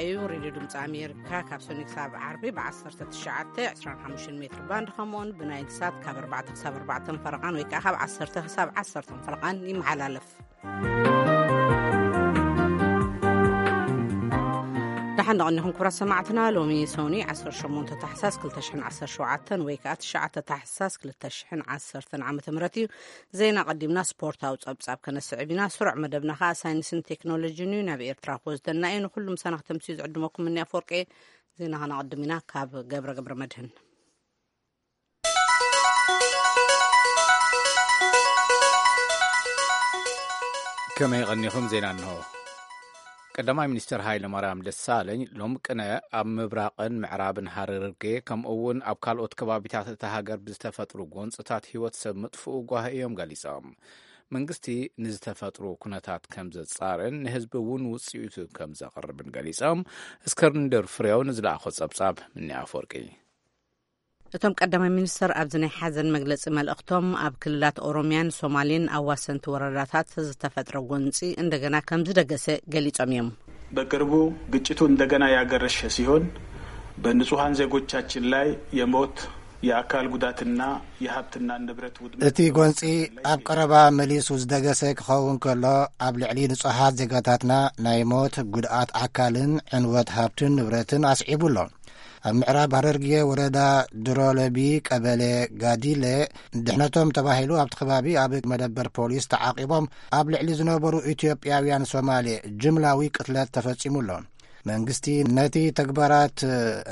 እዩ። ሬድዮ ድምፂ ኣሜሪካ ካብ ሰኒ ክሳብ ዓርቢ ብ1925 ሜትር ባንድ፣ ከምኡውን ብናይል ሳት ካብ ኣርባዕተ ክሳብ ኣርባዕተ ፈረቓን ወይ ከዓ ካብ ዓሰርተ ክሳብ ዓሰርተ ፈረቓን ይመሓላለፍ። ደሓን ደቐኒኹም ክቡራት ሰማዕትና። ሎሚ ሰውኒ ዓሰርተ ሸሞንተ ታሕሳስ ክልተ ሽሕን ዓሰርተ ሸውዓተን ወይ ከዓ ትሽዓተ ታሕሳስ ክልተ ሽሕን ዓሰርተን ዓመተ ምህረት እዩ። ዜና ቀዲምና ስፖርታዊ ጸብጻብ ከነስዕብ ኢና። ስሩዕ መደብና ከኣ ሳይንስን ቴክኖሎጂን እዩ። ናብ ኤርትራ ክወስደና እዩ። ንኹሉ ምሳና ክተምስዩ ዝዕድመኩም እኒ ኣፈወርቂ። ዜና ከነቐድም ኢና ካብ ገብረ ገብረ መድህን። ከመይ ቀኒኹም? ዜና እንሆ። ቀዳማይ ሚኒስትር ሃይለ ማርያም ደሳለኝ ሎም ቅነ ኣብ ምብራቕን ምዕራብን ሃረርጌ ከምኡ እውን ኣብ ካልኦት ከባቢታት እታ ሃገር ብዝተፈጥሩ ጎንፅታት ህይወት ሰብ ምጥፍኡ ጓሂ እዮም ገሊፆም። መንግስቲ ንዝተፈጥሩ ኩነታት ከም ዘፃርን ንህዝቢ እውን ውፅኢቱ ከም ዘቕርብን ገሊፆም። እስክንድር ፍሬው ንዝለኣኾ ፀብፃብ ምኒ ኣፈወርቂ። እቶም ቀዳማይ ሚኒስትር ኣብዚ ናይ ሓዘን መግለጺ መልእኽቶም ኣብ ክልላት ኦሮሚያን ሶማሌን ኣዋሰንቲ ወረዳታት ዝተፈጥረ ጎንጺ እንደገና ከም ዝደገሰ ገሊጾም እዮም። በቅርቡ ግጭቱ እንደገና ያገረሸ ሲሆን በንጹሐን ዜጎቻችን ላይ የሞት፣ የአካል ጉዳትና የሀብትና ንብረት ውድመት እቲ ጎንጺ ኣብ ቀረባ መሊሱ ዝደገሰ ክኸውን ከሎ፣ ኣብ ልዕሊ ንጹሃት ዜጋታትና ናይ ሞት፣ ጉድኣት ኣካልን ዕንወት ሃብትን ንብረትን ኣስዒቡ ኣሎ። ኣብ ምዕራብ ሃረርጌ ወረዳ ድሮለቢ ቀበሌ ጋዲለ ድሕነቶም ተባሂሉ ኣብቲ ከባቢ ኣብ መደበር ፖሊስ ተዓቂቦም ኣብ ልዕሊ ዝነበሩ ኢትዮጵያውያን ሶማሌ ጅምላዊ ቅትለት ተፈጺሙ ኣሎ። መንግስቲ ነቲ ተግባራት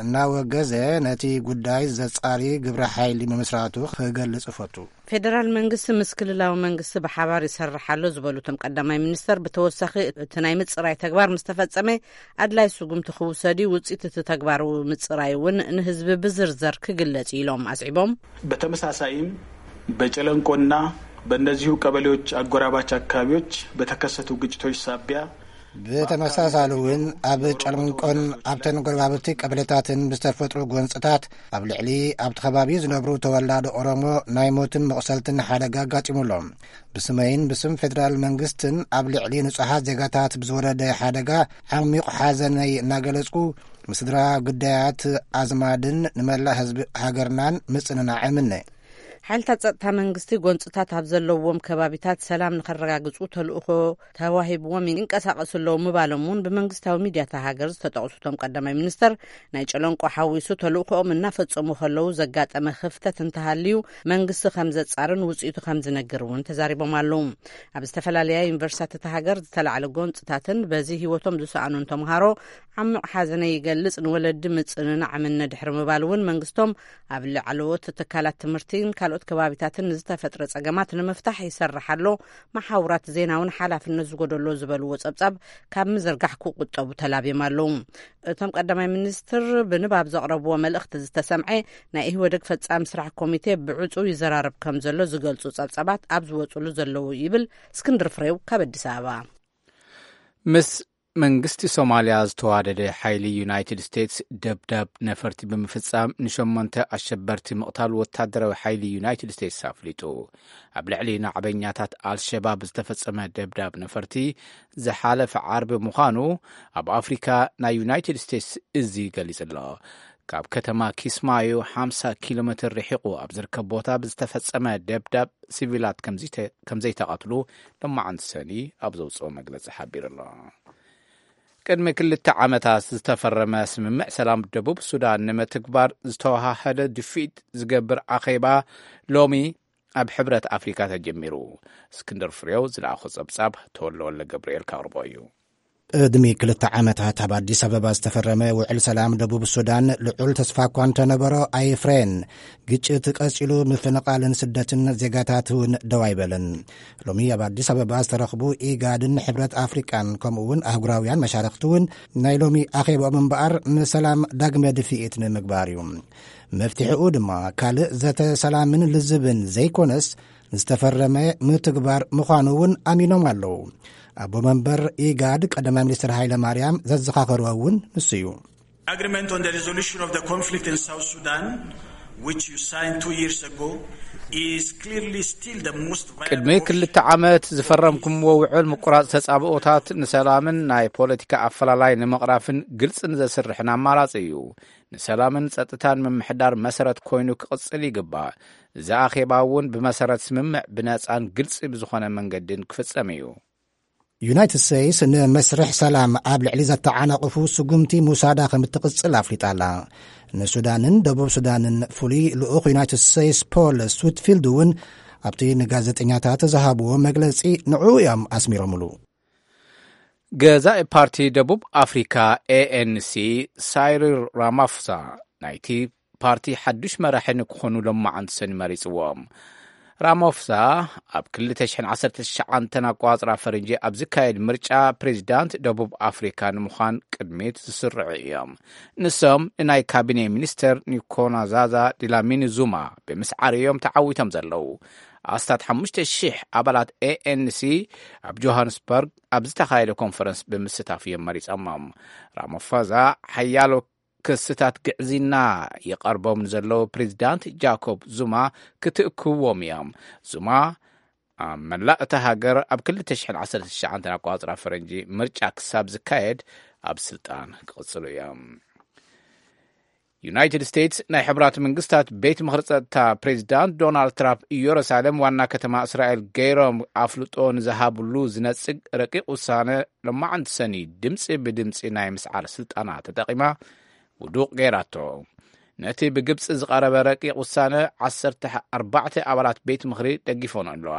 እናወገዘ ነቲ ጉዳይ ዘጻሪ ግብረ ሓይሊ ምምስራቱ ክገልጽ እፈቱ። ፌደራል መንግስቲ ምስ ክልላዊ መንግስቲ ብሓባር ይሰርሕ ኣሎ ዝበሉ እቶም ቀዳማይ ሚኒስተር፣ ብተወሳኺ እቲ ናይ ምጽራይ ተግባር ምስ ተፈጸመ ኣድላይ ስጉምቲ ክውሰድ እዩ፣ ውጽኢት እቲ ተግባር ምጽራይ እውን ንህዝቢ ብዝርዘር ክግለጽ እዩ ኢሎም ኣስዒቦም። በተመሳሳይም በጨለንቆና በእነዚሁ ቀበሌዎች አጎራባች አካባቢዎች በተከሰቱ ግጭቶች ሳቢያ ብተመሳሳሊ እውን ኣብ ጨለንቆን ኣብተን ጎረባብቲ ቀበሌታትን ብዝተፈጥሩ ጎንፅታት ኣብ ልዕሊ ኣብቲ ከባቢ ዝነብሩ ተወላዶ ኦሮሞ ናይ ሞትን መቑሰልትን ሓደጋ ኣጋጢሙሎም። ብስመይን ብስም ፌደራል መንግስትን ኣብ ልዕሊ ንጹሓት ዜጋታት ብዝወረደ ሓደጋ ዓሚቕ ሓዘነይ እናገለጽኩ፣ ምስድራ ጉዳያት ኣዝማድን ንመላእ ህዝቢ ሃገርናን ምጽንናዕ እምነ። ሓይልታት ጸጥታ መንግስቲ ጎንጽታት ኣብ ዘለዎም ከባቢታት ሰላም ንኸረጋግጹ ተልእኾ ተዋሂብዎም ይንቀሳቐሱ ኣለዉ ምባሎም እውን ብመንግስታዊ ሚድያታ ሃገር ዝተጠቕሱ እቶም ቀዳማይ ሚኒስተር፣ ናይ ጨለንቆ ሓዊሱ ተልእኾኦም እናፈጸሙ ከለዉ ዘጋጠመ ክፍተት እንተሃልዩ መንግስቲ ከም ዘጻርን ውጽኢቱ ከም ዝነግር እውን ተዛሪቦም ኣለዉ። ኣብ ዝተፈላለያ ዩኒቨርሲታት እታ ሃገር ዝተላዕለ ጎንጽታትን በዚ ህይወቶም ዝሰኣኑን ተምሃሮ ዓሚቕ ሓዘነ ይገልጽ፣ ንወለዲ ምጽንናዕ እምነ ድሕሪ ምባል እውን መንግስቶም ኣብ ላዕለዎት ትካላት ትምህርትን ካልኦት ከባቢታትን ንዝተፈጥረ ጸገማት ንምፍታሕ ይሰርሕ ኣሎ፣ መሓውራት ዜና እውን ሓላፍነት ዝጎደሎ ዝበልዎ ጸብጻብ ካብ ምዝርጋሕ ክቁጠቡ ተላብዮም ኣለዉ። እቶም ቀዳማይ ሚኒስትር ብንባብ ዘቕረብዎ መልእኽቲ ዝተሰምዐ ናይ ኢህወደግ ፈጻሚ ስራሕ ኮሚቴ ብዕጹው ይዘራረብ ከም ዘሎ ዝገልጹ ጸብጻባት ኣብ ዝወጽሉ ዘለዉ ይብል እስክንድር ፍሬው ካብ ኣዲስ ኣበባ። ምስ መንግስቲ ሶማልያ ዝተዋደደ ሓይሊ ዩናይትድ ስቴትስ ደብዳብ ነፈርቲ ብምፍጻም ንሸሞንተ ኣሸበርቲ ምቕታል ወታደራዊ ሓይሊ ዩናይትድ ስቴትስ ኣፍሊጡ። ኣብ ልዕሊ ናዕበኛታት ኣልሸባብ ዝተፈጸመ ደብዳብ ነፈርቲ ዝሓለፈ ዓርቢ ምዃኑ ኣብ ኣፍሪካ ናይ ዩናይትድ ስቴትስ እዚ ገሊጹ ኣሎ። ካብ ከተማ ኪስማዩ ሓምሳ ኪሎ ሜትር ርሒቑ ኣብ ዝርከብ ቦታ ብዝተፈጸመ ደብዳብ ሲቪላት ከምዝተ-፣ ከምዘይተቐትሉ ሎማዓንቲ ሰኒ ኣብ ዘውፅኦ መግለጺ ሓቢሩ ኣሎ። ቅድሚ ክልተ ዓመታት ዝተፈረመ ስምምዕ ሰላም ደቡብ ሱዳን ንምትግባር ዝተወሃሃደ ድፊት ዝገብር ኣኼባ ሎሚ ኣብ ሕብረት ኣፍሪካ ተጀሚሩ። እስክንድር ፍሬው ዝለኣኾ ጸብጻብ ተወልደ ወልደ ገብርኤል ካቕርቦ እዩ። ቅድሚ ክልተ ዓመታት ኣብ ኣዲስ ኣበባ ዝተፈረመ ውዕል ሰላም ደቡብ ሱዳን ልዑል ተስፋ እኳ እንተነበሮ ኣይፍረየን። ግጭት ቀጺሉ፣ ምፍንቓልን ስደትን ዜጋታት እውን ደው ኣይበለን። ሎሚ ኣብ ኣዲስ ኣበባ ዝተረኽቡ ኢጋድን ሕብረት ኣፍሪቃን ከምኡ እውን ኣህጉራውያን መሻርኽቲ እውን ናይ ሎሚ ኣኼባኦም እምበኣር ንሰላም ዳግመ ድፍኢት ንምግባር እዩ። መፍትሒኡ ድማ ካልእ ዘተ ሰላምን ልዝብን ዘይኮነስ ዝተፈረመ ምትግባር ምዃኑ እውን ኣሚኖም ኣለዉ። ኣቦ መንበር ኢጋድ ቀዳማይ ሚኒስትር ሃይለ ማርያም ዘዘኻኸርዎ እውን ንሱ እዩ። Agreement on the resolution of the conflict in South Sudan which you signed two years ago, is clearly still the most viable ቅድሚ ክልተ ዓመት ዝፈረምኩምዎ ውዕል ምቁራጽ ተጻብኦታት ንሰላምን ናይ ፖለቲካ ኣፈላላይ ንምቕራፍን ግልጽ ንዘስርሕን ኣማራጺ እዩ። ንሰላምን ጸጥታን ምምሕዳር መሰረት ኮይኑ ክቕጽል ይግባእ። እዚ ኣኼባ እውን ብመሰረት ስምምዕ ብነጻን ግልጺ ብዝኾነ መንገድን ክፍጸም እዩ። ዩናይትድ ስቴትስ ንመስርሕ ሰላም ኣብ ልዕሊ ዘተዓናቕፉ ስጉምቲ ሙሳዳ ከም እትቕጽል ኣፍሊጣ ኣላ። ንሱዳንን ደቡብ ሱዳንን ፍሉይ ልኡኽ ዩናይትድ ስቴትስ ፖል ስዊትፊልድ እውን ኣብቲ ንጋዜጠኛታት ዝሃብዎ መግለጺ ንዕኡ እዮም ኣስሚሮምሉ። ገዛኢ ፓርቲ ደቡብ ኣፍሪካ ኤኤንሲ ሳይሪል ራማፎሳ ናይቲ ፓርቲ ሓዱሽ መራሒ ንክኾኑ ሎማዓንቲ ሰኒ መሪፅዎም። ራማፎሳ ኣብ ክልተ ሽሕን ዓሰርተ ትሽዓተ ኣቋፅራ ፈረንጂ ኣብ ዝካየድ ምርጫ ፕሬዚዳንት ደቡብ ኣፍሪካ ንምዃን ቅድሚት ዝስርዑ እዮም። ንሶም ንናይ ካቢኔ ሚኒስተር ኒኮናዛዛ ዲላሚኒ ዙማ ብምስዓር እዮም ተዓዊቶም ዘለዉ። ኣስታት ሓሙሽተ ሽሕ ኣባላት ኤኤንሲ ኣብ ጆሃንስበርግ ኣብ ዝተኻየደ ኮንፈረንስ ብምስታፍ እዮም መሪጾሞም። ራማፎዛ ሓያሎ ክስታት ግዕዝይና ይቐርቦም ንዘለዉ ፕሬዚዳንት ጃኮብ ዙማ ክትእክብዎም እዮም። ዙማ ኣብ መላእ እታ ሃገር ኣብ ክልተ ሽሕን ዓሰርተ ትሽዓተ ኣቋፅራ ፈረንጂ ምርጫ ክሳብ ዝካየድ ኣብ ስልጣን ክቕፅሉ እዮም። ዩናይትድ ስቴትስ ናይ ሕቡራት መንግስታት ቤት ምኽሪ ጸጥታ ፕሬዚዳንት ዶናልድ ትራምፕ ኢየሩሳሌም ዋና ከተማ እስራኤል ገይሮም ኣፍልጦ ንዝሃብሉ ዝነጽግ ረቂቕ ውሳነ ሎማዓንቲ ሰኒ ድምጺ ብድምጺ ናይ ምስዓር ስልጣና ተጠቒማ ውዱቕ ገይራቶ። ነቲ ብግብጺ ዝቐረበ ረቂቕ ውሳነ ዓሰርተ ኣርባዕተ ኣባላት ቤት ምኽሪ ደጊፎን ኣለዋ።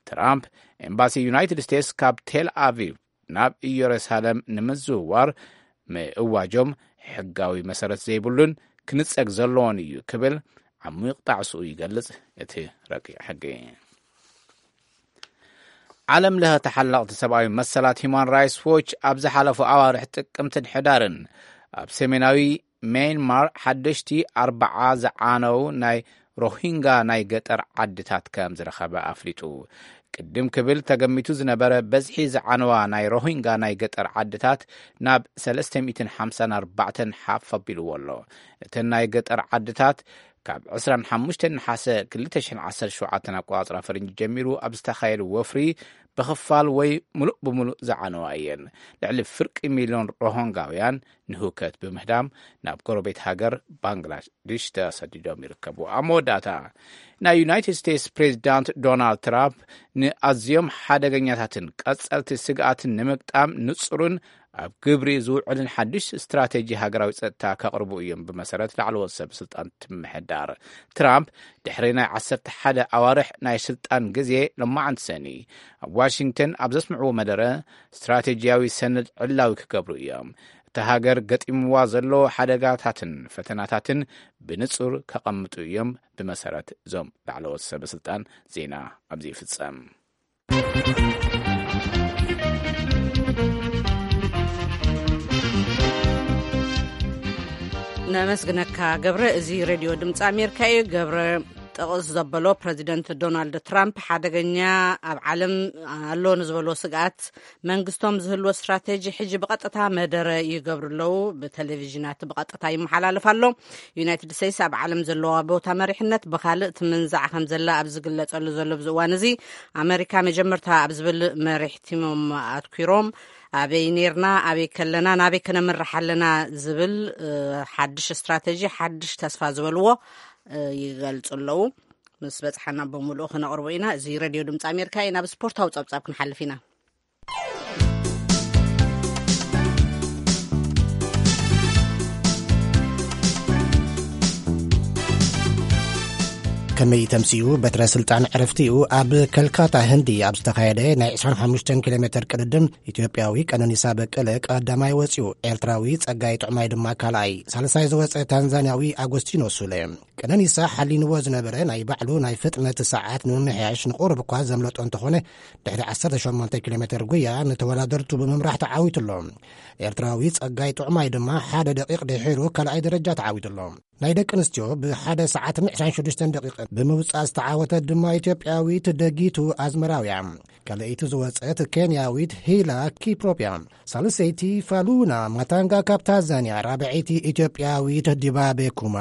ትራምፕ ኤምባሲ ዩናይትድ ስቴትስ ካብ ቴል ኣቪቭ ናብ ኢየሩሳሌም ንምዝውዋር ምእዋጆም ሕጋዊ መሰረት ዘይብሉን ክንጸግ ዘለዎን እዩ ክብል ዓሚቕ ጣዕስኡ ይገልጽ እቲ ረቂቕ ሕጊ። ዓለም ለኸ ተሓለቕቲ ሰብኣዊ መሰላት ሂማን ራይትስ ዎች ኣብ ዝሓለፉ ኣዋርሕ ጥቅምትን ሕዳርን ኣብ ሰሜናዊ ሜንማር ሓደሽቲ ኣርባዓ ዝዓነው ናይ ሮሂንጋ ናይ ገጠር ዓድታት ከም ዝረኸበ ኣፍሊጡ። ቅድም ክብል ተገሚቱ ዝነበረ በዝሒ ዝዓነዋ ናይ ሮሂንጋ ናይ ገጠር ዓድታት ናብ ሰለስተ ሚእትን ሓምሳን ኣርባዕተን ሓፍ ኣቢልዎ ኣሎ። እተን ናይ ገጠር ዓድታት ካብ ዕስራን ሓሙሽተን ነሓሰ ክልተ ሽሕን ዓሰርተ ሸውዓተን ኣቆጻጽራ ፈረንጂ ጀሚሩ ኣብ ዝተኻየደ ወፍሪ ብኽፋል ወይ ምሉእ ብምሉእ ዝዓነዋ እየን። ልዕሊ ፍርቂ ሚልዮን ሮሆንጋውያን ንህውከት ብምህዳም ናብ ጎረቤት ሃገር ባንግላዴሽ ተሰዲዶም ይርከቡ። ኣብ መወዳእታ ናይ ዩናይትድ ስቴትስ ፕሬዚዳንት ዶናልድ ትራምፕ ንኣዝዮም ሓደገኛታትን ቀጸልቲ ስግኣትን ንምግጣም ንጹርን ኣብ ግብሪ ዝውዕልን ሓድሽ ስትራቴጂ ሃገራዊ ጸጥታ ከቕርቡ እዮም ብመሰረት ላዕለዎት ሰብ ስልጣን ምምሕዳር። ትራምፕ ድሕሪ ናይ ዓሰርተ ሓደ ኣዋርሕ ናይ ስልጣን ግዜ ሎማዓንቲ ሰኒ ኣብ ዋሽንግተን ኣብ ዘስምዕዎ መደረ ስትራቴጂያዊ ሰነድ ዕላዊ ክገብሩ እዮም። እታ ሃገር ገጢምዋ ዘሎ ሓደጋታትን ፈተናታትን ብንጹር ከቐምጡ እዮም ብመሰረት እዞም ላዕለዎት ሰብ ስልጣን። ዜና ኣብዚ ይፍጸም። ነመስግነካ ገብረ። እዚ ሬድዮ ድምፂ ኣሜሪካ እዩ። ገብረ ጥቕስ ዘበሎ ፕረዚደንት ዶናልድ ትራምፕ ሓደገኛ ኣብ ዓለም ኣሎ ንዝበሎ ስግኣት መንግስቶም ዝህልዎ ስትራቴጂ ሕጂ ብቐጥታ መደረ ይገብሩ ኣለዉ። ብቴሌቪዥናት ብቐጥታ ይመሓላለፍ ኣሎ። ዩናይትድ ስቴትስ ኣብ ዓለም ዘለዋ ቦታ መሪሕነት ብኻልእ ትምንዛዕ ከም ዘላ ኣብ ዝግለጸሉ ዘሎ ኣብዚ እዋን እዚ ኣመሪካ መጀመርታ ኣብ ዝብል መሪሕ ቲሞም ኣትኲሮም ኣበይ ኔርና፣ ኣበይ ከለና፣ ናበይ ከነምርሕ ኣለና ዝብል ሓድሽ ስትራቴጂ፣ ሓድሽ ተስፋ ዝበልዎ ይገልጹ ኣለዉ። ምስ በጽሓና ብምሉኡ ክነቕርቦ ኢና። እዚ ሬድዮ ድምፂ ኣሜሪካ እዩ። ናብ ስፖርታዊ ጸብጻብ ክንሓልፍ ኢና። ከመይ ተምስዩ በትረ ስልጣን ዕረፍቲኡ ኣብ ከልካታ ህንዲ ኣብ ዝተኻየደ ናይ ዕስራን ሓሙሽተን ኪሎ ሜትር ቅድድም ኢትዮጵያዊ ቀነኒሳ በቀለ ቀዳማይ ወፂኡ፣ ኤርትራዊ ጸጋይ ጥዑማይ ድማ ካልኣይ፣ ሳልሳይ ዝወፀ ታንዛንያዊ ኣጎስቲኖ ሱለ። ቀነኒሳ ሓሊንዎ ዝነበረ ናይ ባዕሉ ናይ ፍጥነት ሰዓት ንምምሕያሽ ንቑሩብ እኳ ዘምለጦ እንተኾነ፣ ድሕሪ ዓሰርተ ሸሞንተ ኪሎ ሜትር ጉያ ንተወዳደርቱ ብምምራሕ ተዓዊቱ ኣሎ። ኤርትራዊ ጸጋይ ጥዑማይ ድማ ሓደ ደቂቕ ድሒሩ ካልኣይ ደረጃ ተዓዊቱ ኣሎ። ናይ ደቂ ኣንስትዮ ብሓደ ሰዓትን ዕስራን ሽዱሽተን ደቂቕን ብምውጻእ ዝተዓወተት ድማ ኢትዮጵያዊት ደጊቱ ኣዝመራውያ። ካልኣይቲ ዝወጸት ኬንያዊት ሂላ ኪፕሮፕያ። ሳልሰይቲ ፋሉና ማታንጋ ካብ ታንዛንያ፣ ራብዐይቲ ኢትዮጵያዊት ዲባቤ ኩማ።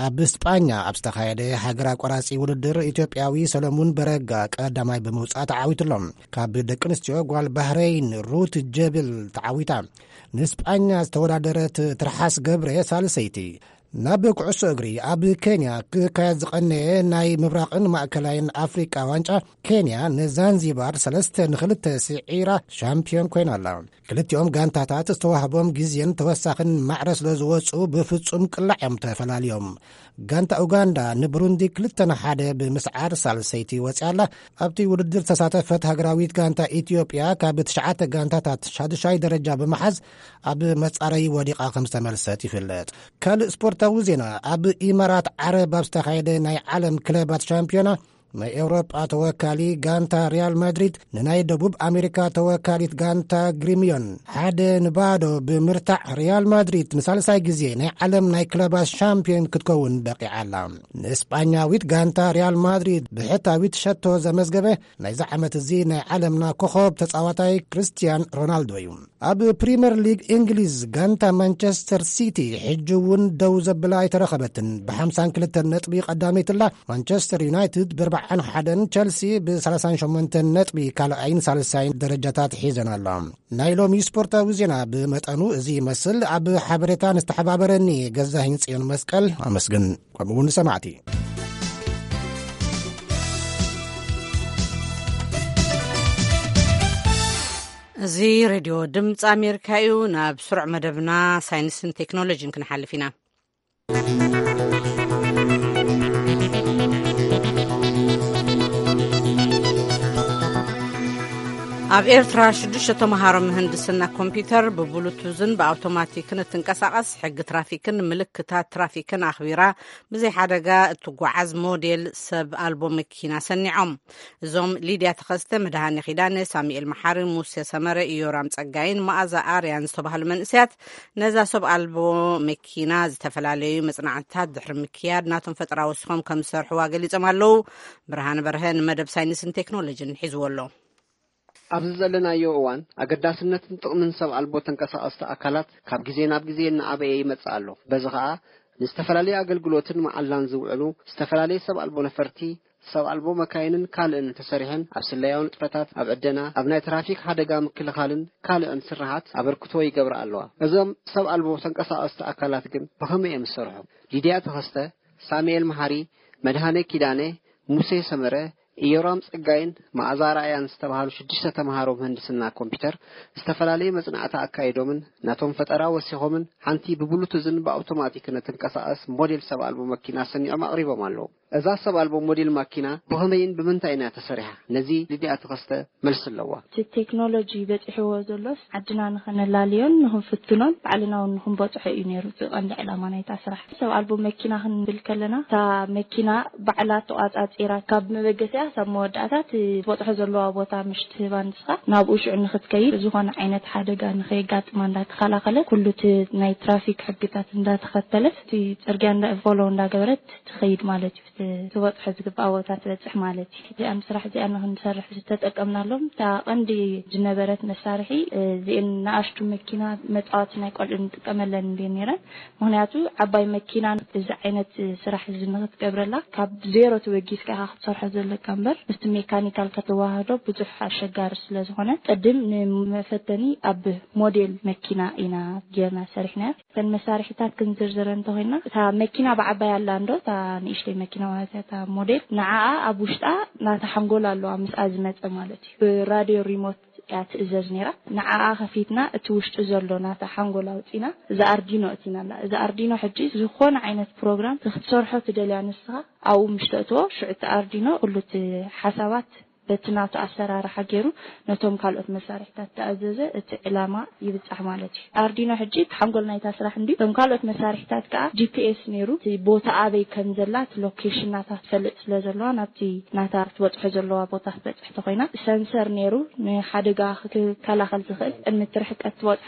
ኣብ ስጳኛ ኣብ ዝተኻየደ ሃገር ኣቋራጺ ውድድር፣ ኢትዮጵያዊ ሰለሙን በረጋ ቀዳማይ ብምውጻእ ተዓዊቱ ኣሎ። ካብ ደቂ ኣንስትዮ፣ ጓል ባህረይን ሩት ጀብል ተዓዊታ። ንስጳኛ ዝተወዳደረት ትርሓስ ገብረ ሳልሰይቲ። ናብ ኩዕሶ እግሪ፣ ኣብ ኬንያ ክካየድ ዝቐነየ ናይ ምብራቕን ማእከላይን ኣፍሪቃ ዋንጫ፣ ኬንያ ንዛንዚባር ሰለስተ ንኽልተ ስዒራ ሻምፒዮን ኮይና ኣላ። ክልቲኦም ጋንታታት ዝተዋህቦም ግዜን ተወሳኽን ማዕረ ስለ ዝወጹ፣ ብፍጹም ቅላዕ እዮም ተፈላልዮም። ጋንታ ኡጋንዳ ንብሩንዲ ክልተ ንሓደ ብምስዓር ሳልሰይቲ ወጺኣ ኣላ። ኣብቲ ውድድር ዝተሳተፈት ሃገራዊት ጋንታ ኢትዮጵያ፣ ካብ ትሽዓተ ጋንታታት ሻዱሻይ ደረጃ ብምሓዝ፣ ኣብ መጻረዪ ወዲቓ ከም ዝተመልሰት ይፍለጥ። ካልእ ስፖርታዊ ዜና፣ ኣብ ኢማራት ዓረብ ኣብ ዝተኻየደ ናይ ዓለም ክለባት ሻምፒዮና፣ ናይ ኤውሮጳ ተወካሊ ጋንታ ሪያል ማድሪድ ንናይ ደቡብ ኣሜሪካ ተወካሊት ጋንታ ግሪሚዮን ሓደ ንባዶ ብምርታዕ፣ ሪያል ማድሪድ ንሳልሳይ ግዜ ናይ ዓለም ናይ ክለባት ሻምፒዮን ክትከውን በቂዓ ኣላ። ንእስጳኛዊት ጋንታ ሪያል ማድሪድ ብሕታዊት ሸቶ ዘመዝገበ ናይዚ ዓመት እዚ ናይ ዓለምና ኮኸብ ተጻዋታይ ክርስቲያን ሮናልዶ እዩ። ኣብ ፕሪምየር ሊግ እንግሊዝ፣ ጋንታ ማንቸስተር ሲቲ ሕጂ እውን ደው ዘብላ ኣይተረኸበትን። ብ52 ነጥቢ ቀዳመይቲ ኣላ። ማንቸስተር ዩናይትድ ብ41፣ ቸልሲ ብ38 ነጥቢ ካልኣይን ሳልሳይን ደረጃታት ሒዘን ኣላ። ናይ ሎሚ ስፖርታዊ ዜና ብመጠኑ እዚ ይመስል። ኣብ ሓበሬታ ንዝተሓባበረኒ ገዛኸኝ ጽዮን መስቀል ኣመስግን። ከምኡ እውን ንሰማዕቲ። እዚ ሬድዮ ድምፂ ኣሜሪካ እዩ። ናብ ስሩዕ መደብና ሳይንስን ቴክኖሎጂን ክንሓልፍ ኢና። ኣብ ኤርትራ ሽዱሽተ ተምሃሮ ምህንድስና ኮምፒውተር ብብሉቱዝን ብኣውቶማቲክን እትንቀሳቐስ፣ ሕጊ ትራፊክን ምልክታት ትራፊክን ኣኽቢራ ብዘይ ሓደጋ እትጓዓዝ ሞዴል ሰብ ኣልቦ መኪና ሰኒዖም። እዞም ሊድያ ተኸስተ፣ መድሃኔ ኪዳነ፣ ሳሙኤል መሓሪ፣ ሙሴ ሰመረ፣ ኢዮራም ጸጋይን መኣዛ ኣርያን ዝተባህሉ መንእሰያት፣ ነዛ ሰብ ኣልቦ መኪና ዝተፈላለዩ መጽናዕትታት ድሕሪ ምክያድ፣ ናቶም ፈጠራ ወሲኾም ከም ዝሰርሕዋ ገሊጾም ኣለዉ። ብርሃን በርሀ ንመደብ ሳይንስን ቴክኖሎጂን ሒዝዎ ኣሎ። ኣብዚ ዘለናዮ እዋን፣ ኣገዳስነትን ጥቕምን ሰብ ኣልቦ ተንቀሳቐስቲ ኣካላት ካብ ግዜ ናብ ግዜ እናዓበየ ይመጽእ ኣሎ። በዚ ኸኣ፣ ንዝተፈላለዩ ኣገልግሎትን መዓላን ዝውዕሉ ዝተፈላለዩ ሰብ ኣልቦ ነፈርቲ፣ ሰብ ኣልቦ መካይንን ካልእን ተሰሪሐን ኣብ ስለያዊ ንጥፈታት፣ ኣብ ዕደና፣ ኣብ ናይ ትራፊክ ሓደጋ ምክልኻልን ካልእን ስራሓት ኣበርክቶ ይገብራ ኣለዋ። እዞም ሰብ ኣልቦ ተንቀሳቐስቲ ኣካላት ግን ብኸመይ እዮም ዝሰርሑ? ሊድያ ተኸስተ፣ ሳሙኤል መሓሪ፣ መድሃኔ ኪዳነ፣ ሙሴ ሰመረ፣ ኢዮራም ጸጋይን መኣዛ ራእያን ዝተባህሉ ሽዱሽተ ተምሃሮ ምህንድስና ኮምፒውተር ዝተፈላለዩ መጽናዕቲ ኣካይዶምን ናቶም ፈጠራ ወሲኾምን፣ ሓንቲ ብብሉቱዝን ብኣውቶማቲክን እትንቀሳቐስ ሞዴል ሰብ ኣልቦ መኪና ሰኒዖም ኣቕሪቦም ኣለዉ። እዛ ሰብ ኣልቦ ሞዴል ማኪና ብኸመይን ብምንታይን እያ ተሰሪሓ? ነዚ ሊድያ ተኸስተ መልሲ ኣለዋ። እቲ ቴክኖሎጂ በጺሕዎ ዘሎስ፣ ዓድና ንኸነላልዮን ንኽንፍትኖን ባዕልና እውን ንኽንበጽሖ እዩ ነይሩ እቲ ቀንዲ ዕላማ ናይታ ስራሕ። ሰብ ኣልቦ መኪና ክንብል ከለና፣ እታ መኪና ባዕላ ተቋጻጺራ፣ ካብ መበገሲኣ ሳብ መወዳእታ እቲ ትበጽሖ ዘለዋ ቦታ ምሽ ትህባ ንስኻ፣ ናብኡ ሽዑ ንኽትከይድ፣ ዝኾነ ዓይነት ሓደጋ ንኸየጋጥማ እንዳተኸላኸለት፣ ኩሉ እቲ ናይ ትራፊክ ሕግታት እንዳተኸተለት፣ እቲ ጽርግያ እንዳ ፎሎ እንዳገበረት ትኸይድ ማለት እዩ። እቲ ትበጽሖ ዝግባእ ቦታ ትበጽሕ ማለት እዩ። እዚኣን ስራሕ እዚኣን ንኽንሰርሕ ዝተጠቀምናሎም፣ እታ ቀንዲ ዝነበረት መሳርሒ፣ እዚአን ንኣሽቱ መኪና መጻወቲ ናይ ቆልዑ ንጥቀመለን እንድየን ነይረን። ምኽንያቱ ዓባይ መኪና እዚ ዓይነት ስራሕ እዚ ንኽትገብረላ፣ ካብ ዜሮ ተበጊስካ ኢኻ ክትሰርሖ ዘለካ እምበር፣ ምስቲ ሜካኒካል ከተወሃህዶ ብዙሕ ኣሸጋሪ ስለ ዝኾነ፣ ቅድም ንመፈተኒ ኣብ ሞዴል መኪና ኢና ጌርና ሰሪሕናዮ። እተን መሳርሒታት ክንዝርዝረን እንተኾይና፣ እታ መኪና ብዓባይ ኣላ እንዶ፣ እታ ንእሽተይ መኪና ማለት እያ፣ እታ ሞዴል፣ ንዓኣ ኣብ ውሽጣ ናታ ሓንጎል ኣለዋ፣ ምስኣ ዝመጸ ማለት እዩ። ብራድዮ ሪሞት እያ ትእዘዝ ነይራ። ንዓኣ ከፊትና፣ እቲ ውሽጢ ዘሎ ናታ ሓንጎል ኣውጺና፣ እዚ ኣርዲኖ እቲና ኣላ። እዚ ኣርዲኖ ሕጂ ዝኾነ ዓይነት ፕሮግራም ክትሰርሖ ትደልያ ንስኻ፣ ኣብኡ ምሽ ተእትዎ፣ ሽዑ እቲ ኣርዲኖ ኩሉ እቲ ሓሳባት በቲ ናቱ ኣሰራርሓ ገይሩ ነቶም ካልኦት መሳርሒታት ተኣዘዘ፣ እቲ ዕላማ ይብጻሕ ማለት እዩ። ኣርዲኖ ሕጂ እቲ ሓንጎል ናይታ ስራሕ እንድዩ። እቶም ካልኦት መሳርሒታት ከኣ ጂ ፒ ኤስ ነይሩ፣ እቲ ቦታ ኣበይ ከም ዘላ፣ እቲ ሎኬሽን ናታ ትፈልጥ ስለ ዘለዋ፣ ናብቲ ናታ ክትበጽሖ ዘለዋ ቦታ ክትበጽሕ ተኾይና፣ ሰንሰር ነይሩ፣ ንሓደጋ ክከላኸል ዝኽእል ቅድሚ እቲ ርሕቀት ትበጽሖ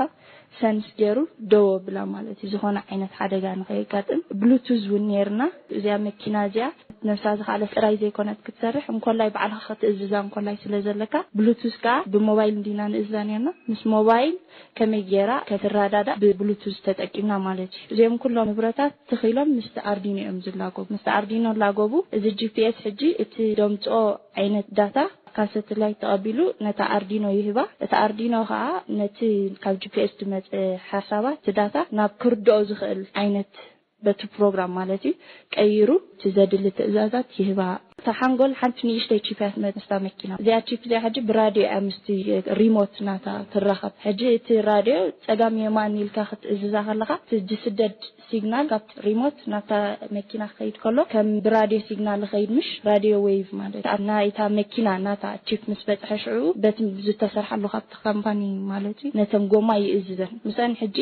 ሰንስ ገይሩ ደው ኣብላ ማለት እዩ። ዝኾነ ዓይነት ሓደጋ ንኸየጋጥም ብሉቱዝ እውን ነይርና። እዚኣ መኪና እዚኣ ነብሳ ዝኸኣለት ጥራይ ዘይኮነት ክትሰርሕ፣ እንኮላይ ባዕልኻ ክትእዝዛ እንኮላይ ስለ ዘለካ፣ ብሉቱዝ ከዓ ብሞባይል እንዲና ንእዝዛ ነርና። ምስ ሞባይል ከመይ ገይራ ከትረዳዳእ ብብሉቱዝ ተጠቂምና ማለት እዩ። እዚኦም ኩሎም ንብረታት ትኺሎም ምስቲ ኣርዲኖ እዮም ዝላጎቡ። ምስቲ ኣርዲኖ ላጎቡ። እዚ ጂ ፒ ኤስ ሕጂ እቲ ደምፅኦ ዓይነት ዳታ ካብ ሳተላይት ተቐቢሉ ነታ ኣርዲኖ ይህባ። እቲ ኣርዲኖ ከዓ ነቲ ካብ ጂ ፒ ኤስ ዝመፀ ሓሳባት፣ እቲ ዳታ ናብ ክርድኦ ዝኽእል ዓይነት፣ በቲ ፕሮግራም ማለት እዩ፣ ቀይሩ እቲ ዘድሊ ትእዛዛት ይህባ። እታ ሓንጎል ሓንቲ ንእሽተይ ቺፕ እያ ትመጽእ ምስታ መኪና። እዚኣ ቺፕ እዚኣ ሕጂ ብራድዮ እያ ምስቲ ሪሞት ናታ ትራኸብ። ሕጂ እቲ ራድዮ ጸጋም የማን ኢልካ ክትእዝዛ ከለኻ፣ እቲ ዝስደድ ሲግናል ካብቲ ሪሞት ናታ መኪና ክኸይድ ከሎ፣ ከም ብራድዮ ሲግናል ይኸይድ፣ ምሽ ራድዮ ዌቭ ማለት እዩ። ኣብ ናይታ መኪና ናታ ቺፕ ምስ በጽሐ፣ ሽዑ በቲ ዝተሰርሓሉ ካብቲ ካምፓኒ ማለት እዩ፣ ነተን ጎማ ይእዝዘን። ምስኣን ሕጂ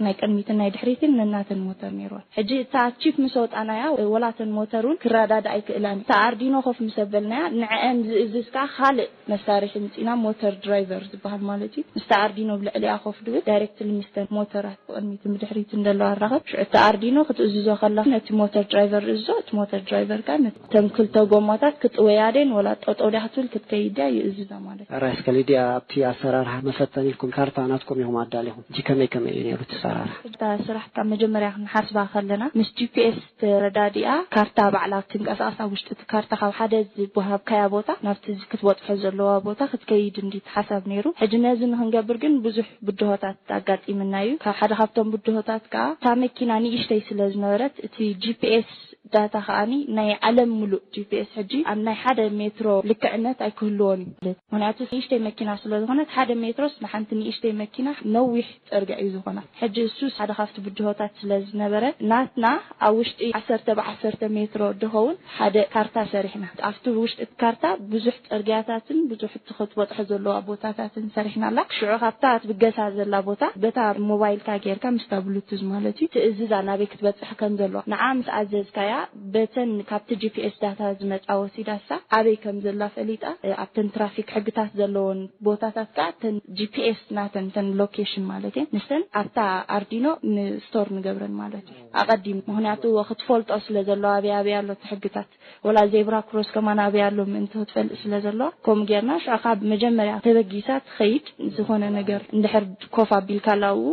ናይ ቅድሚትን ናይ ድሕሪትን ነናተን ሞተር ነይርወን። ሕጂ እታ ቺፕ ምስ ኣውጣናያ፣ ወላተን ሞተር እውን ክረዳዳ ኣይክእላን። እታ ኣርዲኖ ኮፍ ምስ ኣበልናያ፣ ንዕአን ዝእዝዝ ከዓ ካልእ መሳርሒ ምፂና፣ ሞተር ድራይቨር ዝበሃል ማለት እዩ። ምስታ ኣርዲኖ ብልዕሊኣ ኮፍ ድብል፣ ዳይሬክትሊ ምስተን ሞተራት ብቕድሚትን ብድሕሪትን ዘለዋ ኣራኸብ። ሽዑ እታ ኣርዲኖ ክትእዝዞ ከላ፣ ነቲ ሞተር ድራይቨር እዞ፣ እቲ ሞተር ድራይቨር ከዓ ነተን ክልተ ጎማታት ክጥወያ ደን ወላ ጠጠው ድያ ክትብል ክትከይድ ድያ ይእዝዛ ማለት እዩ። ራይስ ከሊድያ፣ ኣብቲ ኣሰራርሓ መፈተኒ ኢልኩም ካርታ ናትኩም ኢኹም ኣዳሊኹም። እጂ ከመይ ከመይ እዩ ነይሩ እቲ ኣሰራርሓ? እታ ስራሕ ካብ መጀመርያ ክንሓስባ ከለና፣ ምስ ጂ ፒ ኤስ ተረዳዲኣ፣ ካርታ ባዕላ ትንቀሳቐስ። ኣብ ውሽጢ እቲ ካርታ ካብ ሓደ ዝወሃብካያ ቦታ ናብቲ ክትበጽሖ ዘለዋ ቦታ ክትከይድ እንዲ ሓሳብ ነይሩ። ሕጂ ነዚ ንክንገብር ግን ብዙሕ ብድሆታት ኣጋጢምና እዩ። ካብ ሓደ ካብቶም ብድሆታት ከኣ፣ እታ መኪና ንእሽተይ ስለ ዝነበረት፣ እቲ ጂ ፒ ኤስ ዳታ ከኣኒ ናይ ዓለም ሙሉእ ጂ ፒ ኤስ ሕጂ ኣብ ናይ ሓደ ሜትሮ ልክዕነት ኣይክህልዎን እዩ። ምክንያቱ ንእሽተይ መኪና ስለ ዝኾነት፣ ሓደ ሜትሮስ ንሓንቲ ንእሽተይ መኪና ነዊሕ ጽርግያ እዩ ዝኾና። ሕጂ እሱስ ሓደ ካብቲ ብድሆታት ስለ ዝነበረ፣ ናትና ኣብ ውሽጢ ዓሰርተ ብዓሰርተ ሜትሮ ድኸውን ሓደ ካርታ ሰሪሕና። ኣብቲ ውሽጢ እቲ ካርታ ብዙሕ ጽርግያታትን ብዙሕ እቲ ክትበጽሖ ዘለዋ ቦታታትን ሰሪሕናላ። ሽዑ ካብታ ትብገሳ ዘላ ቦታ፣ በታ ሞባይልካ ጌርካ፣ ምስታ ብሉቱዝ ማለት እዩ፣ ትእዝዛ ናበይ ክትበጽሕ ከም ዘለዋ። ንዓ ምስ ኣዘዝካያ፣ በተን ካብቲ ጂ ፒ ኤስ ዳታ ዝመጻ ወሲዳሳ ኣበይ ከም ዘላ ፈሊጣ፣ እ፣ ኣብተን ትራፊክ ሕግታት ዘለዎን ቦታታት ከኣ፣ እተን ጂ ፒ ኤስ ናተን፣ እተን ሎኬሽን ማለት እየን፣ ንሰን ኣብታ ኣርዲኖ ንስቶር ንገብረን ማለት እዩ፣ ኣቐዲሙ። ምኽንያቱ ክትፈልጦ ስለ ዘለዋ፣ ኣበይ ኣበይ ኣሎ እቲ ሕግታት፣ ወላ ዜብራ ክሮስ ከማን ኣበይ ኣሎ ምእንቲ ክትፈልጥ ስለ ዘለዋ፣ ከምኡ ጌርና። ሽዑ ካብ መጀመርያ ተበጊሳ ትኸይድ፣ ዝኾነ ነገር እንድሕር ኮፍ ኣቢልካላ ኣብኡ፣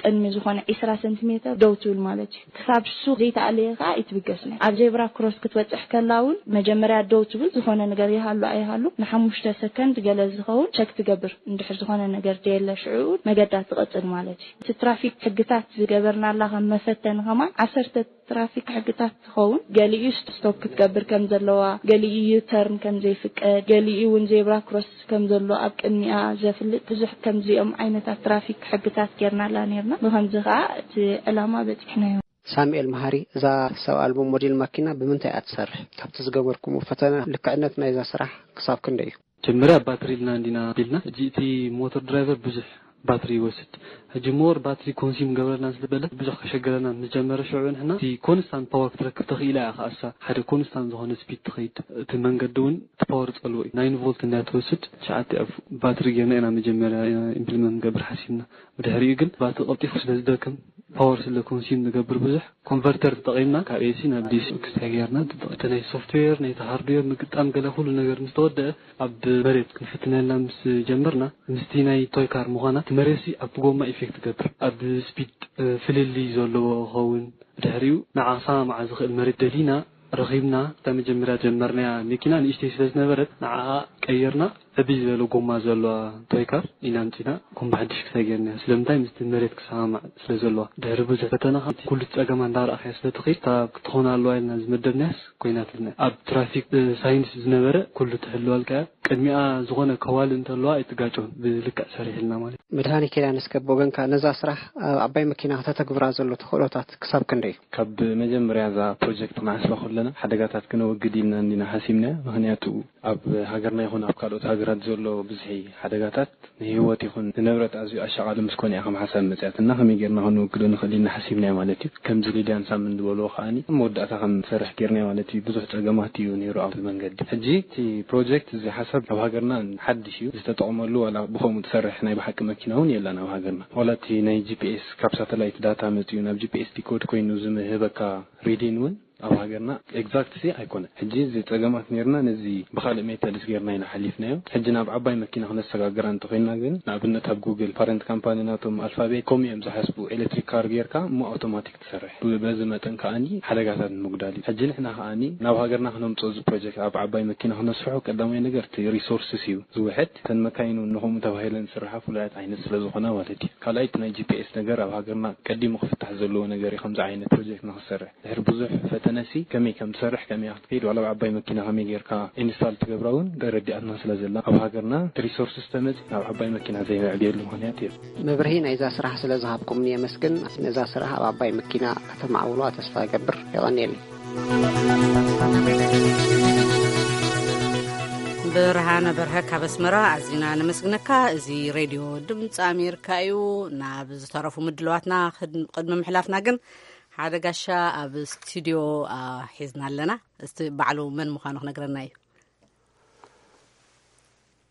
ቅድሚ ዝኾነ ዒስራ ሰንቲሜተር ደው ትብል ማለት እዩ። ክሳብ እሱ ዘይተኣለየ ከኣ ኣይትብገስን እያ። ኣብ ዜብራ ክሮስ ክትበጽሕ ከላ እውን መጀመርያ ደው ትብል፣ ዝኾነ ነገር ይሃሉ ኣይሃሉ ንሓሙሽተ ሰከንድ ገለ ዝኸውን ቸክ ትገብር። እንድሕር ዝኾነ ነገር ደየለ፣ ሽዑ እውን መገዳ ትቐጽል ማለት እዩ። እቲ ትራፊክ ሕግታት ዝገበርናላ ከም መፈተኒ ከማን ዓሰርተ ትራፊክ ሕግታት ትኸውን። ገሊኡ ስቶፕ ክትገብር ከም ዘለዋ፣ ገሊኡ ዩተርን ከም ዘይፍቀድ፣ ገሊኡ እውን ዜብራ ክሮስ ከም ዘሎ ኣብ ቅድሚኣ ዘፍልጥ፣ ብዙሕ ከምዚኦም ዓይነታት ትራፊክ ሕግታት ጌርናላ ኔርና። ብኸምዚ ኸኣ እቲ ዕላማ በጺሕናዮ። ሳሙኤል መሃሪ፣ እዛ ሰብ ኣልቦ ሞዴል ማኪና ብምንታይ እያ ትሰርሕ? ካብቲ ዝገበርኩምዎ ፈተነ ልክዕነት ናይዛ ስራሕ ክሳብ ክንደይ እዩ? መጀመርያ ባትሪ ኢልና እንዲና ኣቢልና። ሕጂ እቲ ሞተር ድራይቨር ብዙሕ ባትሪ ይወስድ። ሕጂ ሞር ባትሪ ኮንሲም ገብረልና ስለ በለ ብዙሕ ከሸገረና ምስ ጀመረ፣ ሽዑ ንሕና እቲ ኮንስታንት ፓወር ክትረክብ ተኽኢላ እያ። ከኣሳ ሓደ ኮንስታንት ዝኾነ ስፒድ ትኸይድ። እቲ መንገዲ እውን እቲ ፓወር ጸልዎ እዩ። ናይን ቮልት እንድያ ትወስድ። ትሽዓተ ኣፍ ባትሪ ጌርና ኢና መጀመርያ ኢና ኢምፕሊመንት ንገብር ሓሲብና። ብድሕሪኡ ግን ባትሪ ቀልጢፉ ስለ ዝደክም፣ ፓወር ስለ ኮንሲም ዝገብር ብዙሕ፣ ኮንቨርተር ተጠቒምና ካብ ኤ ሲ ናብ ዲ ሲ ክስታይ ጌርና ንጥቀም። እቲ ናይ ሶፍትዌር፣ ናይቲ ሃርድዌር ምግጣም፣ ገለ ኩሉ ነገር ምስ ተወደአ፣ ኣብ መሬት ክንፍትነልና ምስ ጀመርና፣ ምስቲ ናይ ቶይ ካር ምዃና፣ እቲ መሬትሲ ኣብቲ ጎማ ኢፌክት ይገብር። ኣብ ስፒድ፣ እ፣ ፍልልይ ዘለዎ ክኸውን። ብድሕሪኡ ንዓ ክሰማማዓ ዝኽእል መሬት ደሊና ረኺብና። እታ መጀመርያ ጀመርናያ መኪና ንእሽተይ ስለ ዝነበረት፣ ንዓኣ ቀይርና፣ ዕብይ ዝበለ ጎማ ዘለዋ ቶይ ካር ኢና ኣምጺና፣ ከም ብሓድሽ ክሳይ ጌርናያ። ስለምንታይ? ምስቲ መሬት ክሰማማዕ ስለ ዘለዋ። ድሕሪ ብዙሕ ፈተና፣ ካብ ኩሉ ጸገማ እንዳረኣኻያ ስለ ትኸይድ፣ እታ ክትኾን ኣለዋ ኢልና ዝመደብናያስ ኮይናትልና። ኣብ ትራፊክ፣ እ፣ ሳይንስ ዝነበረ ኩሉ ትሕልወልካ እያ። ቅድሚኣ ዝኾነ ከዋሊ እንተለዋ ኣይትጋጮን፣ ብልክዕ ሰሪሕልና ማለት እዩ። መድሃኔ ኪዳነ፣ እስከ ብወገንካ ነዛ ስራሕ ኣብ ዓባይ መኪና ከተተግብራ ዘሎ ተኽእሎታት ክሳብ ክንደይ እዩ? ካብ መጀመርያ እዛ ፕሮጀክት ክንሓስባ ከለና፣ ሓደጋታት ክነወግድ ኢልና እንዲና ሓሲብናያ። ምኽንያቱ ኣብ ሃገርና ይኹን ኣብ ካልኦት ሃገራት ዘሎ ብዝሒ ሓደጋታት ንህይወት ይኹን ንንብረት ኣዝዩ ኣሻቓሊ ምስ ኮነ እያ ከም ሓሳብ መጽያትና። ከመይ ጌርና ክንወግዶ ንኽእል ኢና ሓሲብና ማለት እዩ። ከምዚ ሊድያን ሳምን ዝበልዎ ከኣኒ ኣብ መወዳእታ ከም ዝሰርሕ ጌርና ማለት እዩ። ብዙሕ ጸገማት እዩ ነይሩ ኣብ መንገዲ። ሕጂ እቲ ፕሮጀክት እዚ ሓሳብ ኣብ ሃገርና ሓድሽ እዩ። ዝተጠቕመሉ ዋላ ብኸምኡ ትሰርሕ ናይ ብሓቂ መኪና እውን የላን ኣብ ሃገርና። ዋላ እቲ ናይ ጂ ፒ ኤስ ካብ ሳተላይት ዳታ መጺኡ ናብ ጂ ፒ ኤስ ዲኮድ ኮይኑ ዝምህበካ ሪዲን እውን ኣብ ሃገርና ኤግዛክት ሲ ኣይኮነ። ሕጂ እዚ ጸገማት ኔርና ነዚ ብኻልእ ሜተድስ ጌርና ኢና ሓሊፍናዮ። ሕጂ ናብ ዓባይ መኪና ክነሰጋግራ እንተኾይንና ግን ንኣብነት ኣብ ጉግል ፓረንት ካምፓኒ ናቶም ኣልፋቤት ከምኡ እዮም ዝሓስቡ። ኤሌክትሪክ ካር ጌርካ እሞ ኣውቶማቲክ ትሰርሕ። ብ-፣ በዚ መጠን ከኣኒ ሓደጋታት ንምጉዳል እዩ። ሕጂ ንሕና ከኣኒ ናብ ሃገርና ክነምጽኦ እዚ ፕሮጀክት ኣብ ዓባይ መኪና ክነስርሖ ቀዳማይ ነገር እቲ ሪሶርስስ እዩ ዝውሕድ። እተን መካይኑ ንኸምኡ ተባሂለን ዝስርሓ ፍሉያት ዓይነት ስለ ዝኾና ማለት እዩ። ካልኣይ እቲ ናይ ጂ ፒ ኤስ ነገር ኣብ ሃገርና ቀዲሙ ክፍታሕ ዘለዎ ነገር እዩ ከምዚ ዓይነት ፕሮጀክት ንኽሰርሕ። ድሕሪ ብዙሕ ፈተነሲ ከመይ ከም ትሰርሕ፣ ከመይ ክትከይድ፣ ዋላ ኣብ ዓባይ መኪና ከመይ ጌርካ ኢንስታል ትገብራ እውን ረዲኣትና ስለ ዘላ፣ ኣብ ሃገርና ሪሶርስስ ተመጺ ናብ ዓባይ መኪና ዘይምዕብየሉ ምኽንያት የለን። መብርሂ ናይዛ ስራሕ ስለ ዝሃብኩምኒ የመስግን። ነዛ ስራሕ ኣብ ዓባይ መኪና ከተማዕብሉዋ ተስፋ እገብር። የቐንየለይ። ብርሃነ በርሀ ካብ ኣስመራ ኣዚና ነመስግነካ። እዚ ሬድዮ ድምፂ ኣሜሪካ እዩ። ናብ ዝተረፉ ምድለዋትና ክድ-፣ ቅድሚ ምሕላፍና ግን ሓደ ጋሻ ኣብ ስቱዲዮ፣ አ፣ ሒዝና ኣለና። እስቲ ባዕሉ መን ምዃኑ ክነግረና እዩ።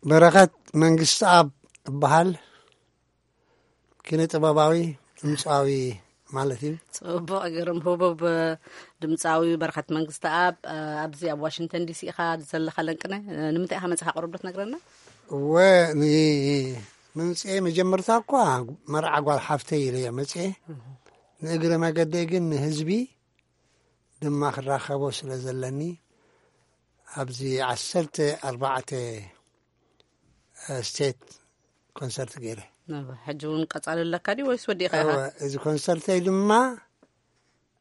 በረኸት መንግስቲ ኣብ እበሃል ኪነ ጥበባዊ ድምፃዊ ማለት እዩ። ጽቡቕ፣ ግርም ህቡብ ድምፃዊ በረኸት መንግስቲ ኣብ፣ አ፣ ኣብዚ ኣብ ዋሽንግተን ዲ ሲ ኢኻ ዘለኻ ለንቅነ። ንምንታይ ኢኻ መጽኻ ቅሩብ ዶ ትነግረና? እወ፣ ን-፣ ምምፅኤ መጀመርታ እኳ መርዓ ጓል ሓፍተይ ኢለ እየ መፅኤ። ንእግረ መገደይ ግን ንህዝቢ ድማ ክራኸቦ ስለ ዘለኒ ኣብዚ ዓሰርተ ኣርባዕተ ስቴት ኮንሰርት ገይረ። ነባ፣ ሕጂ እውን ቀጻሊ ኣለካ ድዩ ወይስ ወዲእካ ኢኻ? እወ፣ እዚ ኮንሰርተይ ድማ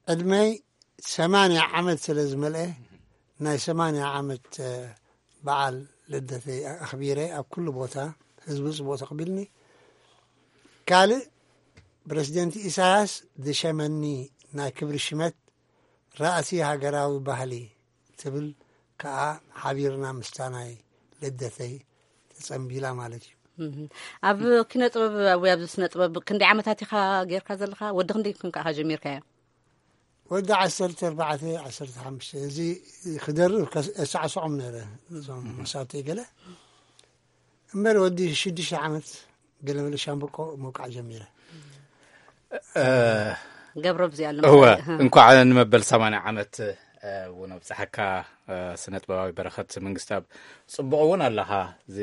ዕድመይ ሰማንያ ዓመት ስለ ዝመልአ ናይ ሰማንያ ዓመት፣ እ፣ በዓል ልደተይ ኣኽቢረ ኣብ ኩሉ ቦታ ህዝቢ ጽቡቕ ተቕቢልኒ። ካልእ ፕረሲደንት ኢሳያስ ዝሸመኒ ናይ ክብሪ ሽመት ራእሲ ሃገራዊ ባህሊ ትብል ከኣ ሓቢርና ምስታ ናይ ልደተይ ተጸንቢላ ማለት እዩ። እህ። ኣብ ኪነ ጥበብ ወይ ኣብዚ ስነ ጥበብ ክንደይ ዓመታት ኢኻ ጌርካ ዘለኻ? ወዲ ክንደይ ኮንካ ኢኻ ጀሚርካዮ? ወዲ ዓሰርተ ኣርባዕተ፣ ዓሰርተ ሓሙሽተ፣ እዚ ክደርብ ከስ-፣ እሳዕስዖም ነይረ፣ እዞም መሳብተይ ገለ። እምበር ወዲ ሽዱሽተ ዓመት ገለ መለ ሻምብቆ ምውቃዕ ጀሚረ። እ፣ ገብረ ብዚኣ ኣሎ እወ፣ ማለት፣ እህ። እንኳዕ ንመበል ሰማንያ ዓመት፣ እ፣ እውን ኣብፀሐካ፣ እ፣ ስነ ጥበባዊ በረኸት መንግስታብ። ጽቡቕ እውን ኣለኻ፣ እዚ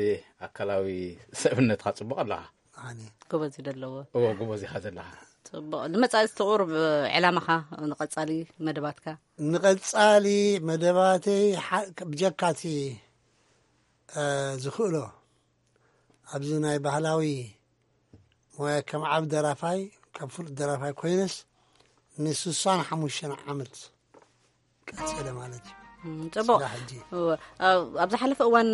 ኣካላዊ ሰብነትካ ጽቡቕ ኣለኻ። ኣነ። ጎበዝ እዩ ደለዎ። እወ፣ ጎበዝ ኢኻ ዘለኻ። ጽቡቕ። ንመጻኢ ዝተቑርብ ዕላማኻ፣ ንቐጻሊ መደባትካ? ንቐጻሊ መደባተይ ሓ-፣ ብጀካቲ፣ እ፣ ዝኽእሎ ኣብዚ ናይ ባህላዊ ሞያ ከም ዓቢ ደራፋይ፣ ከም ፍሉጥ ደራፋይ ኮይነስ ንስሳን ሓሙሽተን ዓመት ቀጺለ ማለት እዩ። እም፣ ጽቡቕ። ስራሕ ሕጂ። እወ፣ ኣብ፣ ኣብ ዝሓለፈ እዋን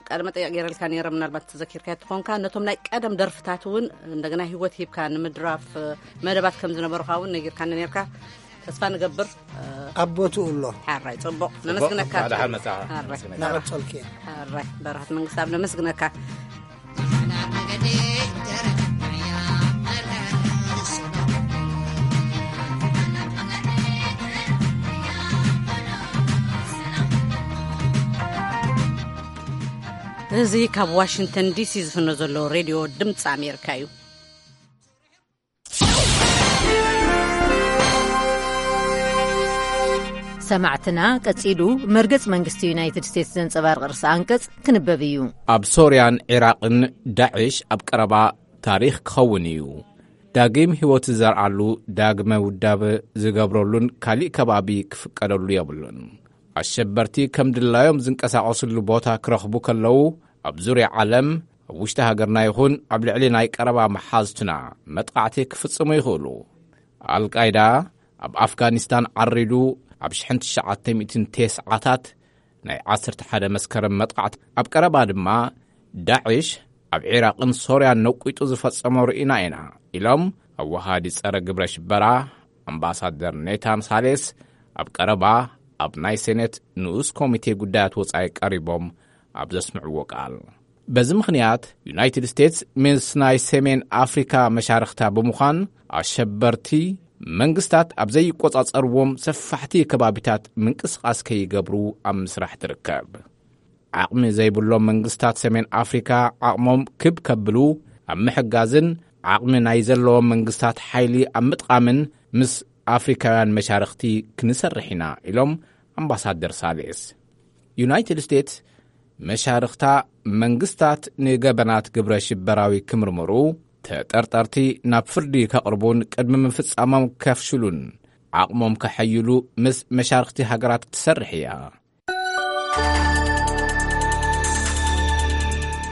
ቃለ መጠይቕ ገይረልካ ነይረ፣ ምናልባት ተዘኪርካዮ ትኾንካ። ነቶም ናይ ቀደም ደርፍታት እውን እንደገና ህይወት ሂብካ ንምድራፍ መደባት ከም ዝነበሩኻ እውን ነጊርካኒ ነይርካ። ተስፋ ንገብር፣ እ፣ ኣብ ቦትኡ ኣሎ። ሓራይ፣ ጽቡቕ። ጽቡቕ። ነመስግነካ። እንኳዕ ደሓን መጻኻ። ሓራይ። ነመስግነካ። እናቐጸልኩ እየ። ሓራይ፣ በረኸት መንግስታብ ነመስግነካ። እዚ ካብ ዋሽንግተን ዲ ሲ ዝፍኖ ዘሎ ሬድዮ ድምፂ ኣሜሪካ እዩ። ሰማዕትና፣ ቀጺሉ መርገጽ መንግስቲ ዩናይትድ ስቴትስ ዘንጸባርቕ ርእሰ ኣንቀጽ ክንበብ እዩ። ኣብ ሶርያን ዒራቕን ዳዕሽ ኣብ ቀረባ ታሪኽ ክኸውን እዩ። ዳግም ህይወት ዝዘርኣሉ፣ ዳግመ ውዳበ ዝገብረሉን ካሊእ ከባቢ ክፍቀደሉ የብሉን። ኣሸበርቲ ከም ድላዮም ዝንቀሳቐስሉ ቦታ ክረኽቡ ከለዉ፣ ኣብ ዙርያ ዓለም፣ ኣብ ውሽጢ ሃገርና ይኹን ኣብ ልዕሊ ናይ ቀረባ መሓዝትና መጥቃዕቲ ክፍጽሙ ይኽእሉ። ኣልቃይዳ ኣብ ኣፍጋኒስታን ዓሪዱ ኣብ ሽሕን ትሽዓተ ሚእትን ተስዓታት ናይ ዓሰርተ ሓደ መስከረም መጥቃዕቲ፣ ኣብ ቀረባ ድማ ዳዕሽ ኣብ ዒራቕን ሶርያን ነቂጡ ዝፈጸሞ ርኢና ኢና ኢሎም ኣወሃዲ ጸረ ግብረ ሽበራ ኣምባሳደር ኔታን ሳሌስ ኣብ ቀረባ ኣብ ናይ ሴኔት ንኡስ ኮሚቴ ጉዳያት ወጻኢ ቀሪቦም ኣብ ዘስምዕዎ ቃል። በዚ ምኽንያት፣ ዩናይትድ ስቴትስ ምስ ናይ ሰሜን ኣፍሪካ መሻርኽታ ብምዃን፣ ኣሸበርቲ መንግስታት ኣብ ዘይቆጻጸርዎም ሰፋሕቲ ከባቢታት ምንቅስቓስ ከይገብሩ ኣብ ምስራሕ ትርከብ። ዓቕሚ ዘይብሎም መንግስታት ሰሜን ኣፍሪካ ዓቕሞም ክብ ከብሉ ኣብ ምሕጋዝን፣ ዓቕሚ ናይ ዘለዎም መንግስታት ሓይሊ ኣብ ምጥቓምን ምስ ኣፍሪካውያን መሻርኽቲ ክንሰርሕ ኢና ኢሎም ኣምባሳደር ሳሌስ። ዩናይትድ ስቴትስ መሻርኽታ መንግስታት ንገበናት ግብረ ሽበራዊ ክምርምሩ፣ ተጠርጠርቲ ናብ ፍርዲ ከቕርቡን ቅድሚ ምፍጻሞም ከፍሽሉን ዓቕሞም ከሐይሉ ምስ መሻርኽቲ ሃገራት ትሰርሕ እያ።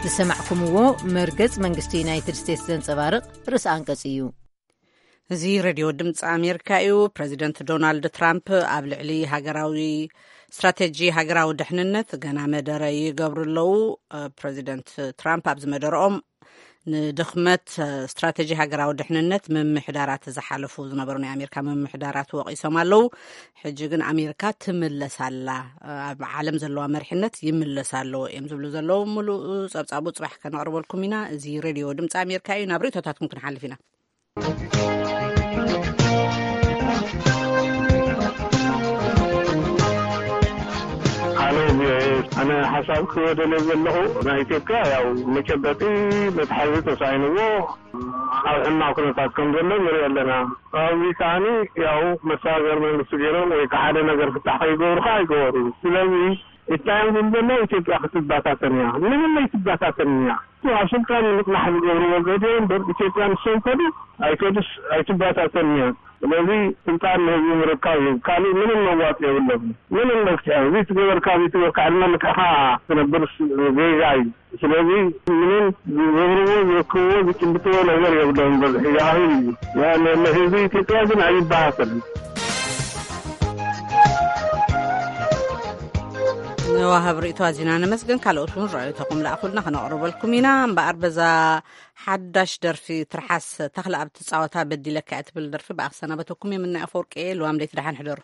ዝሰማዕኩምዎ መርገጽ መንግስቲ ዩናይትድ ስቴትስ ዘንጸባርቕ ርእሰ ኣንቀጽ እዩ። እዚ ሬድዮ ድምፂ ኣሜሪካ እዩ። ፕሬዚደንት ዶናልድ ትራምፕ ኣብ ልዕሊ ሃገራዊ ስትራቴጂ ሃገራዊ ድሕንነት ገና መደረ ይገብሩ ኣለዉ። ፕሬዚደንት ትራምፕ ኣብዚ መደረኦም ንድኽመት ስትራቴጂ ሃገራዊ ድሕንነት ምምሕዳራት ዝሓለፉ ዝነበሩ ናይ ኣሜሪካ ምምሕዳራት ወቒሶም ኣለዉ። ሕጂ ግን ኣሜሪካ ትምለስ ኣላ፣ ኣብ ዓለም ዘለዋ መሪሕነት ይምለስ ኣለዎ እዮም ዝብሉ ዘለዉ። ሙሉእ ጸብጻቡ ጽባሕ ከነቕርበልኩም ኢና። እዚ ሬድዮ ድምፂ ኣሜሪካ እዩ። ናብ ርእቶታትኩም ክንሓልፍ ኢና። ሃሎ ቪኦኤ፣ ኣነ ሓሳብ ክወደለ ዘለኹ፣ ናይ ኢትዮጵያ ያው መጨበጢ መትሓዚ ተሳኢንዎ ኣብ ሕማቕ ኩነታት ከም ዘሎ ንርኢ ኣለና። ኣብዚ ከዓኒ ያው መሰጋገሪ መንግስቲ ገይሮም ወይ ከዓ ሓደ ነገር ፍታሕ ከይገብሩ ከዓ ኣይገበሩ። ስለዚ እታዮም ዝብል ዘሎ ኢትዮጵያ ክትበታተን እያ። ምንም ኣይትበታተን እያ። ኣብ ስልጣን ንምጽናሕ ዝገብርዎ ዘዴ እምበር ኢትዮጵያ ንሶም ከዱ ኣይከዱስ ኣይትበታተን እያ። ስለዚ ስልጣን ንህዝቢ ምርካብ እዩ። ካልእ ምንም መዋጽኦ የብሎም። ምንም መፍትሒ እዚ ትገበርካ እዚ ትገበርካ ዕድመ ልክዕኻ ትነብር ዜጋ እዩ። ስለዚ ምንም ዝገብርዎ ዝረክብዎ ዝጭብጥዎ ነገር የብሎም። በዝሒ ይኣኽል እዩ። ንህዝቢ ኢትዮጵያ ግን ኣይበሃሰልን። ንዋሃብ ርእቶ ኣዚና ነመስግን። ካልኦት እውን ርእይቶኹም ለኣኹልና ከነቕርበልኩም ኢና። እምበኣር በዛ ሓዳሽ ደርፊ ትርሓስ ተኽለ ኣብ ትጻወታ በዲለካ እያ ትብል ደርፊ ብኣኽሰናበተኩም የምና ኣፈወርቂ። ልዋም ደይቲ ደሓን ሕደሩ።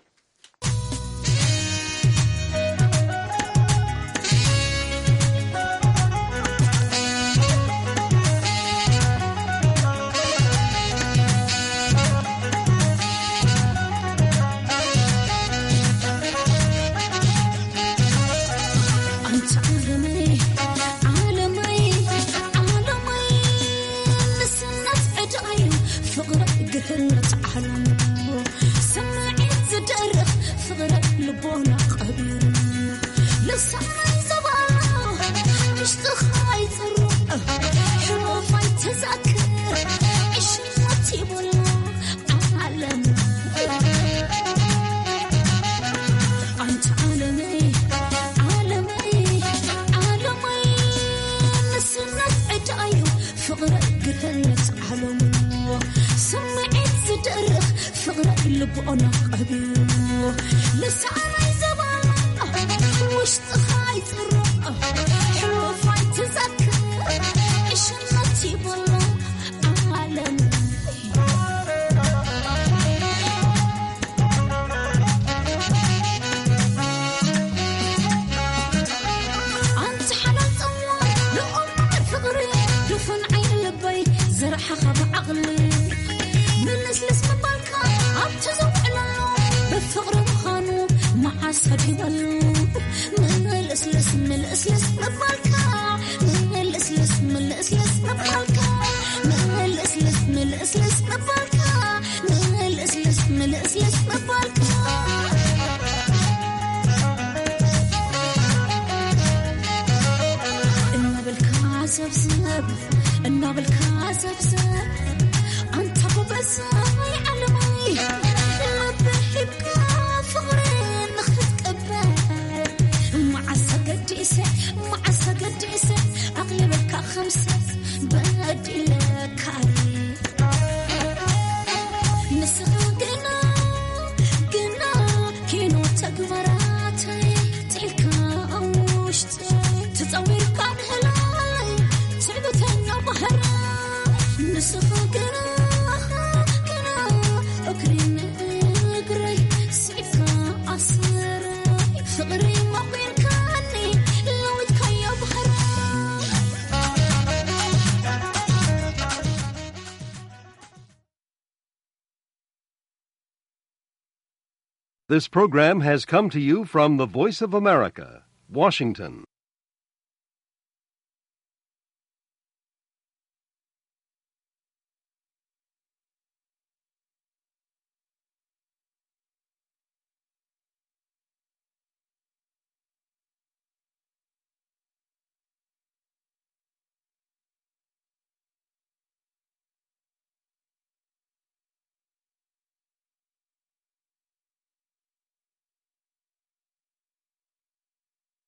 This program has come to you from the Voice of America, Washington.